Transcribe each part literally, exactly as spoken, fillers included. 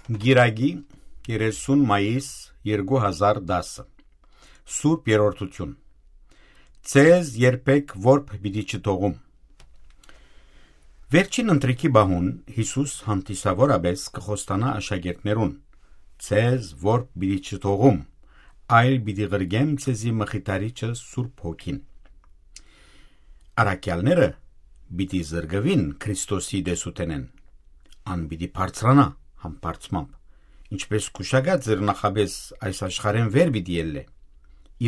Կիրակի, երեսուն մայիս երկու հազար տասը։ Սուրբ Երրորդութիւն։ Ձեզ երբեք որբ պիտի չթողում։ Վերջին ընթրիքի պահուն Յիսուս հանդիսաւորապէս կը խոստանայ աշակերտներուն. «Ձեզ որբ պիտի չթողում, այլ պիտի ղրկեմ ձեզի Մխիթարիչը՝ Սուրբ Հոգին»։ Առաքեալները պիտի զրկուին Քրիստոսի տեսութենէն։ Ան պիտի բարձրանայ համբարձմամբ, ինչպէս կուշակած էր նախապէս այս աշխարհէն վեր պիտի ելլէ։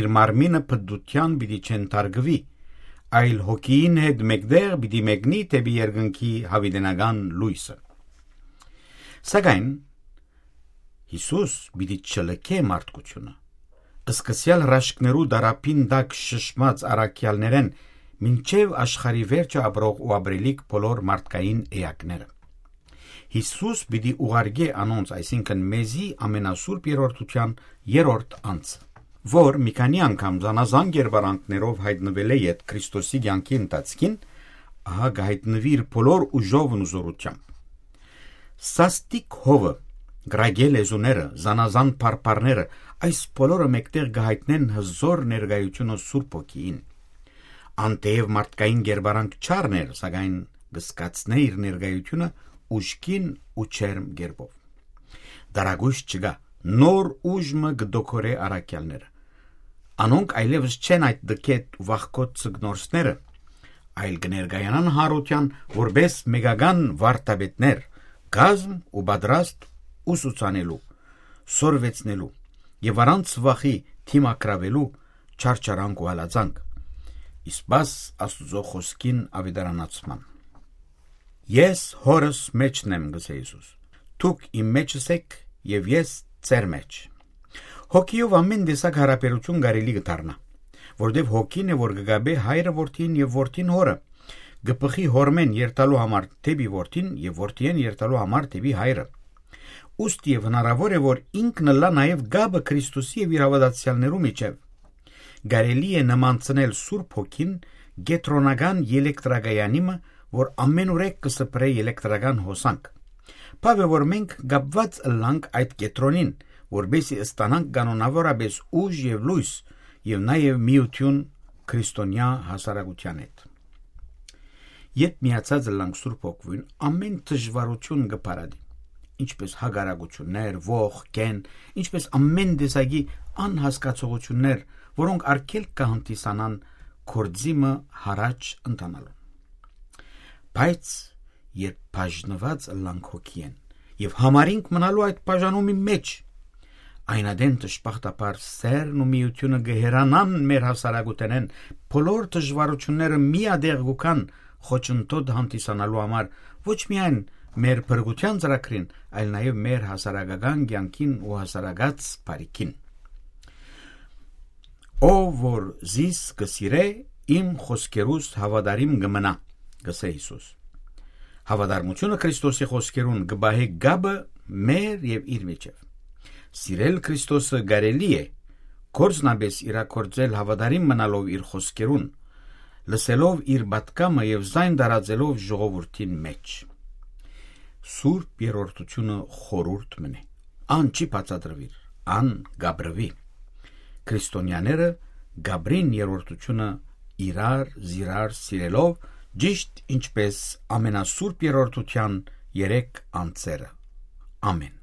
Իր մարմինը փտտութեան պիտի չենթարկուի, այլ հոգիին հետ մէկտեղ պիտի մեկնի դէպի երկնքի յաւիտենական լոյսը։ Սակայն Յիսուս պիտի չլքէ մարդկութիւնը։ Սկսեալ հրաշքներու դարաբին տակ շշմած առաքեալներէն մինչեւ աշխարհի վերջը ապրող ու ապրելիք բոլոր մարդկային էակները։ Յիսուս պիտի ուղարկէ անոնց, այսինքն՝ մեզի, ամենասուրբ Երրորդութեան երրորդ անձը, որ մի քանի անգամ զանազան կերպարանքներով յայտնուելէ յետ Քրիստոսի կեանքի ընթացքին, ահա կը յայտնուի իր բոլոր ուժովն ու զօրութեամբ։ Սաստիկ հովը, կրակէ լեզուները, զանազան փարփարները, այս բոլորը մէկտեղ կը յայտնեն հզօր ներկայութիւնը Սուրբ Հոգիին։ Ան թէեւ մարդկային կերպարանք չառներ, սակայն կը զգացնէ իր ներկայութիւնը ուժգին ու ջերմ կերպով։ Տարակոյս չկայ, նոր ուժ մը կը դոքորէ առաքեալները։ Անոնք այլեւս չեն այդ տքետ ու վախկոտ ձկնորսները, այլ կը ներկայանան յարութեան որպէս մեկական վարդապետներ, կազմ ու պատրաստ ուսուցանելու, սորվեցնելու եւ առանց վախի դիմագրաւելու չարչարանք ու հալածանք, ի սպաս Աստուծոյ խօսքին աւետարանացման։ «Ես Հօրս մէջն եմ», կ'ըսէ Յիսուս, «դուք իմ մէջս էք եւ ես ձեր մէջ»։ Հոգիով ամէն տեսակ յարաբերութիւն կարելի կը դառնայ, որտեւ հոգին է, որ կը կապէ հայրը որդին եւ որդին հօրը, կը բխի հօրմէն երթալու համար դէպի որդին եւ որդիէն երթալու համար դէպի հայրը։ Ուստի եւ հնարաւոր է, որ ինքն ըլլայ նաեւ կապը Քրիստոսի եւ իր հաւատացեալներու միջեւ։ Կարելի է նմանցնել Սուրբ Հոգին կեդրոնական ելեկտրակայանի մը, որ ամենուրեք կը սփռէ ելեկտրական հոսանք։ Բաւ է, որ մենք կապուած ըլլանք այդ կեդրոնին, որպէսզի ստանանք կանոնաւորապէս ուժ եւ լոյս եւ նաեւ միութիւն քրիստոնեայ հասարակութեան հետ։ Երբ միացած ըլլանք Սուրբ Հոգիին, ամէն դժուարութիւն կը փարատի, ինչպէս հակառակութիւններ, ոխ, կեն, ինչպէս ամէն տեսակի անհասկացողութիւններ, որոնք արգելք կը հանդիսանան գործի մը յառաջ ընթանալուն։ Բայց երբ բաժնուած ըլլանք Հոգիէն եւ համարինք մնալու այդ բաժանումի մէջ, այն ատեն դժբախտաբար սէրն ու միութիւնը կը հեռանան մեր հասարակութենէն, բոլոր դժուարութիւնները միատեղ կու գան, խոչընդոտ հանդիսանալու համար ոչ միայն մեր փրկութեան ծրագրին, այլ նաեւ մեր հասարակական կեանքին ու հասարակաց բարիքին։ «Ով որ զիս կը սիրէ, իմ խօսքերուս հաւատարիմ կը մնայ», կ'ըսէ Յիսուս։ Հաւատարմութիւնը Քրիստոսի խօսքերուն կը պահէ կապը մեր եւ իր միջեւ։ Սիրել Քրիստոսը կարելի է գործնապէս իրագործել հաւատարիմ մնալով իր խօսքերուն, լսելով իր պատգամը եւ զայն տարածելով ժողովուրդին մէջ։ Սուրբ Երրորդութիւնը խորհուրդ մըն է։ Ան չի բացատրուիր, ան կ'ապրուի։ Քրիստոնեաները կ'ապրին Երրորդութիւնը իրար զիրար սիրելով, ճիշդ ինչպէս Ամենասուրբ Երրորդութեան երեք անձերը։ Ամէն։